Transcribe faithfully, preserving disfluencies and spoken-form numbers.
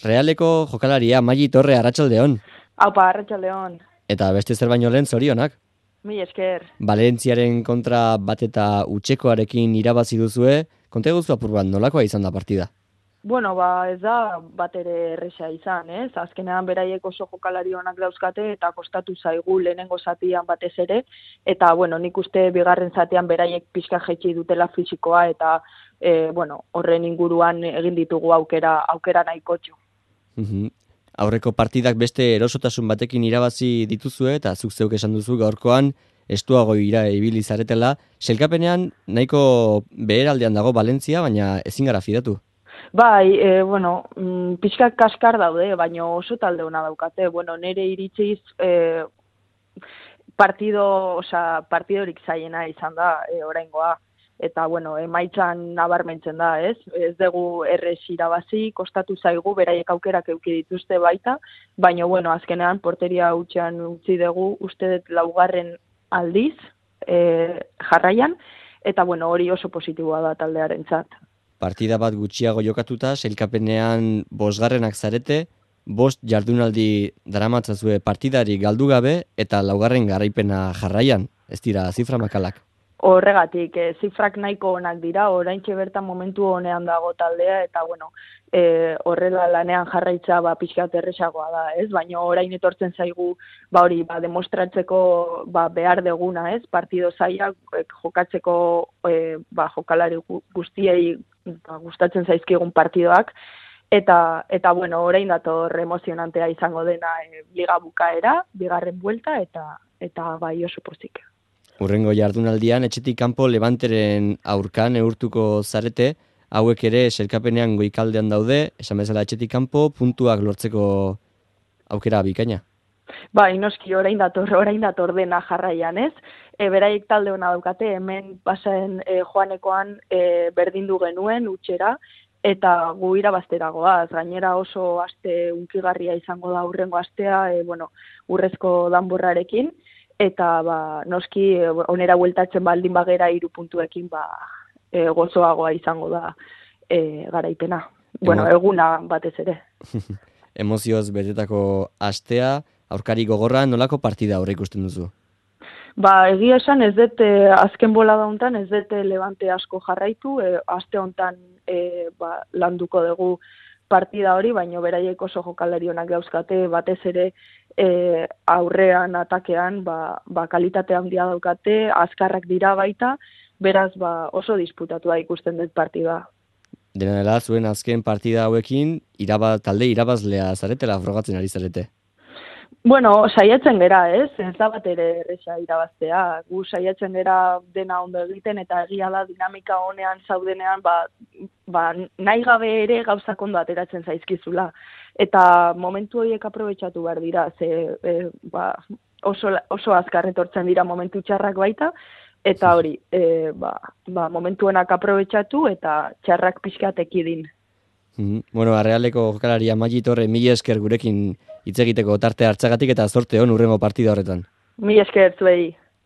Realeko jokalaria Magi Torre, arratsaldeon. Aupa, arratsaldeon. Eta beste zer baino lehen zorionak. Mi esker. Valentziaren kontra bat eta utxekoarekin irabazi duzue, konta eguzu apur bat nolakoa izan da partida? Bueno, ba, ez da bat ere erresa izan, ez? Azkenean beraiek oso jokalari onak dauzkate eta kostatu zaigu lehenengo zatian batez ere, eta, bueno, nik uste bigarren zatean beraiek pixka jaitsi dutela fisikoa eta, e, bueno, horren inguruan egin ditugu aukera, aukera nahikotxo. Uhum. Aurreko partidak beste erosotasun batekin irabazi dituzue eta zuk zeuk esan duzu gaurkoan estuago ira ibili zaretela. Sailkapenean nahiko beheraldean dago Valentzia, baina ezin gara fidatu. Bai, e, bueno, mm, pixkak kaskar daude, baina oso talde ona daukate. Bueno, nire iritziz e, partido, osea, partidorik zaiena izan da e, oraingoa. Eta, bueno, emaitzan nabarmentzen da, ez? Ez dugu errez irabazi, kostatu zaigu, beraiek aukerak eduki dituzte baita, baina, bueno, azkenean porteria hutsean utzi dugu, uste dut laugarren aldiz e, jarraian, eta, bueno, hori oso positiboa da taldearentzat. Partida bat gutxiago jokatuta, sailkapenean bosgarrenak zarete, bost jardunaldi daramatzazue partidari galdu gabe eta laugarren garaipena jarraian, ez dira zifra makalak. Horregatik, e, zifrak nahiko onak dira, oraintxe bertan momentu honean dago taldea, eta bueno, e, horrela lanean jarraitza ba, pixkat erresagoa da, ez? Baina orain etortzen zaigu ba, hori ba, demostratzeko ba, behar deguna, ez? Partido zailak e, jokatzeko e, ba, jokalari guztiei ba, gustatzen zaizkigun partidoak, eta, eta bueno, orain dator emozionantea izango dena e, liga bukaera, bigarren buelta, eta, eta bai oso pozik. Urrengo jardunaldian, etxetik kanpo Levanteren aurkan neurtuko zarete, hauek ere sailkapenean goikaldean daude, esan bezala etxetik kanpo, puntuak lortzeko aukera bikaina. Bai, noski, orain dator, orain dator dena jarraian, ez? E, beraiek talde ona daukate, hemen pasaen e, joanekoan e, berdindu genuen, utxera, eta gu irabazteragoaz, gainera oso aste unkigarria izango da urrengo astea, e, bueno, urrezko danborrarekin, eta ba, noski onera bueltatzen baldin bagera hiru puntuekin ba, e, gozoagoa izango da e, garaipena. Bueno, eguna batez ere. Emozioz betetako astea, aurkari gogorra, nolako partida aurre ikusten duzu? Ba, egia esan ez dut e, azken bolada hontan ez dut Levante asko jarraitu, e, aste hontan e, ba, landuko dugu partida hori, baina beraiek oso jokalari onak dauzkate, batez ere e, aurrean, atakean, ba, ba, kalitate handia daukate, azkarrak dira baita, beraz ba, oso disputatua ikusten dut partida. Dena dela, zuen azken partida hauekin, iraba, talde irabazlea zaretela frogatzen ari zarete. Bueno, saiatzen gera, ez? Ez da bat ere erresa irabaztea. Gu saiatzen gera dena ondo egiten eta egia da dinamika honean zaudenean ba, ba, nahi gabe ere gauzak ondo ateratzen zaizkizula. Eta momentu horiek aprobetxatu behar dira, ze e, ba, oso, oso azkar etortzen dira momentu txarrak baita, eta hori, e, ba, ba, momentuenak aprobetxatu eta txarrak pixkat ekidin. Mm-hmm. Bueno, Realeko jokalaria Magi Torre, mila esker gurekin hitz egiteko tarte hartzagatik eta zorte on urrengo partida horretan. Mila esker zuei.